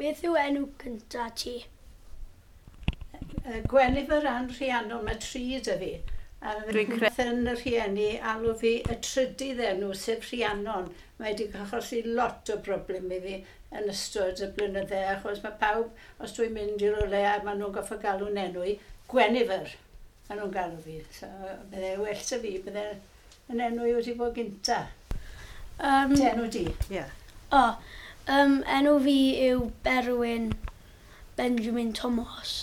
Beth yw enw cynta ti? Gwenifer Ann Rhiannon, mae tri 'da fi. A Dwi'n yn y rhieni alw fi y trydydd enw, sef Rhiannon. Mae wedi achosi lot o broblem i fi yn ystod y blynydde, achos mae pawb, os dwi'n mynd i rywle a maen nhw'n goffo galw'n enw i, Gwenifer, maen nhw'n galw fi. So, bydde well 'da fi, bydde yn enw i wedi bod gynta. Dy enw di? Ie. Yeah. O, enw fi yw Berwyn Benjamin Thomas.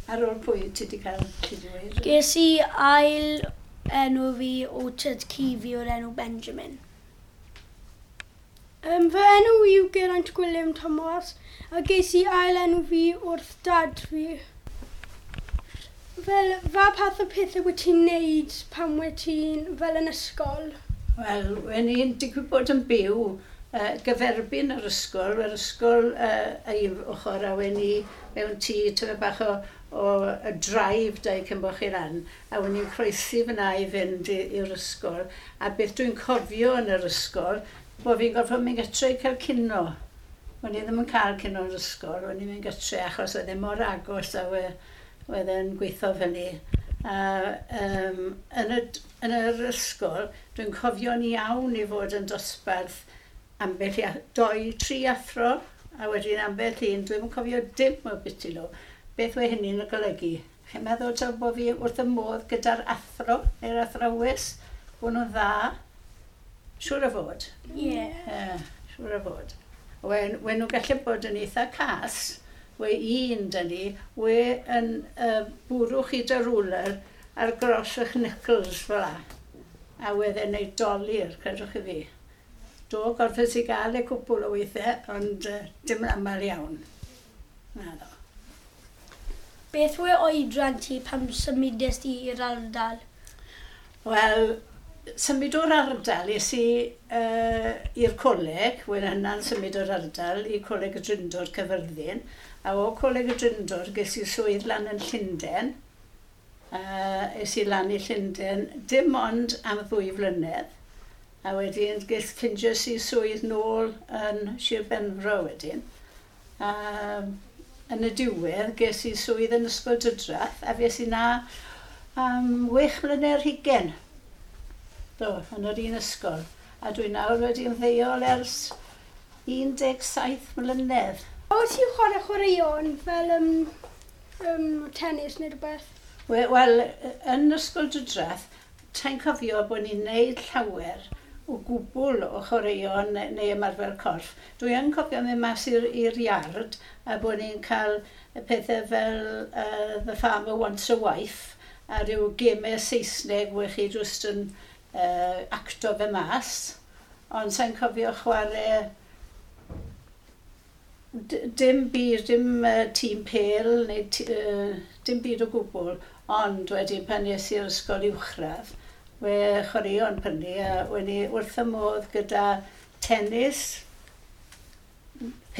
Ar ôl pwy ti wedi cael, ti wedi dweud? Ges i ail enw fi o tad-cu fi o'r enw Benjamin. Fy enw yw Geraint Gwilym Thomas a ges i ail enw fi wrth dad fi. Fel, fa path o pethau wyt ti'n neud pan wyt ti'n fel yn ysgol? Wel, wen i'n digwydd bod yn byw gyferbyn yr ysgol, yr ysgol ei ochr a wen i mewn tŷ tymed bach o y drive da i cyn bo chi lan, a wen i'n croesi fyna i fynd i'r ysgol. A beth dwi'n cofio yn yr ysgol, bod fi'n gorfod mynd gytre i cael cino. Wen i ddim yn cael cino yn yr ysgol, wen i'n mynd gytre achos oedd e mor agos a wedd e'n gweithio fyny. A yn yr ysgol, dwi'n cofio'n iawn i fod yn dosbarth ambell i, doi, tri athro, a wedyn ambell un, dwi'n cofio dim o biti nhw. Beth wedd hynny'n golygu? Chi'n meddwl taw bod fi wrth y modd gyda'r athro neu'r athrawes, bod nhw'n dda? Siŵr o fod. Ie. Yeah, siŵr o fod. Wen nhw'n gallu bod yn eitha cas, we un dyn ni, we yn bwrw chi dy ruler ar gros eich knuckles fel la. A wedd e'n neud dolur, credwch chi fi. Do, gorffes i gael e cwpl o weithiau, ond dim yn aml iawn. Naddo. Beth yw oedran ti pan symudes ti i'r ardal? Wel, symud o'r ardal es i i'r coleg, wel hynna'n symud o'r ardal i Coleg y Drindod Caerfyrddin, a o Coleg y Drindod ges i swydd lan yn Llundain. Es i lan i Llundain dim ond am 2 flynedd, a wedyn ffindies i swydd nôl yn Sir Benfro wedyn. Yn y diwedd ges i swydd yn Ysgol Dydrath, a fues i 'na am 6 mlynedd ar hugain. Do, yn yr un ysgol. A dwi nawr wedi ymddeol ers 17 mlynedd. Wyt ti'n chwarae chwaraeon fel tennis neu rhywbeth? Wel, yn Ysgol Dydrath, ta'n cofio bod ni'n neud llawer o gwbl o chwaraeon neu ymarfer corff. Dwi yn cofio mynd mas i'r iard a bod ni'n cael y pethau fel The Farmer Wants a Wife a rhyw gemau Saesneg we chi jyst yn acto fe mas. Ond sa'n cofio chwarae dim byd, dim tîm pêl neu dim byd o gwbl. Ond wedyn pan es i'r ysgol uwchradd, we chwaraeon prynu a wen i wrth y modd gyda tennis,